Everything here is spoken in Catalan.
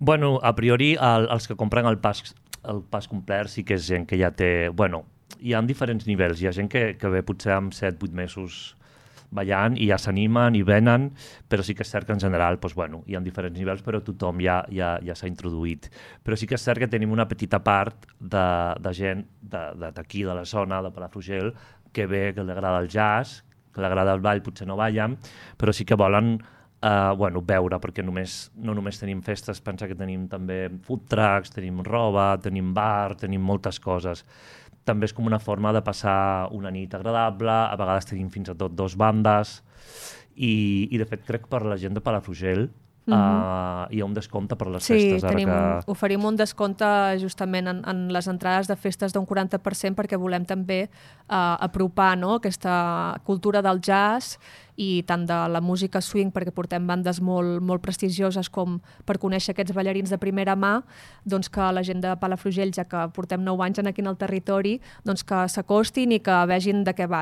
Bueno, a priori, els que compren el pas complet sí que és gent que ja té... Bueno, hi ha diferents nivells. Hi ha gent que ve potser amb 7-8 mesos ballant i ja s'animen i venen, però sí que és cert que en general doncs, bueno, hi ha diferents nivells, però tothom ja s'ha introduït. Però sí que és cert que tenim una petita part de gent d'aquí, de la zona, de Palafrugell, que ve, que li agrada el jazz, que li agrada el ball, potser no ballen, però sí que volen veure, perquè no només tenim festes, pensa que tenim també food trucks, tenim roba, tenim bar, tenim moltes coses. També és com una forma de passar una nit agradable, a vegades tenim fins a tot 2 bandes, i de fet crec per la gent de Palafrugell hi ha un descompte per les festes. Sí, oferim un descompte justament en les entrades de festes d'un 40% perquè volem també apropar aquesta cultura del jazz i tant de la música swing, perquè portem bandes molt prestigioses com per conèixer aquests ballarins de primera mà, doncs que la gent de Palafrugell, ja que portem 9 anys aquí en el territori, doncs que s'acostin i que vegin de què va,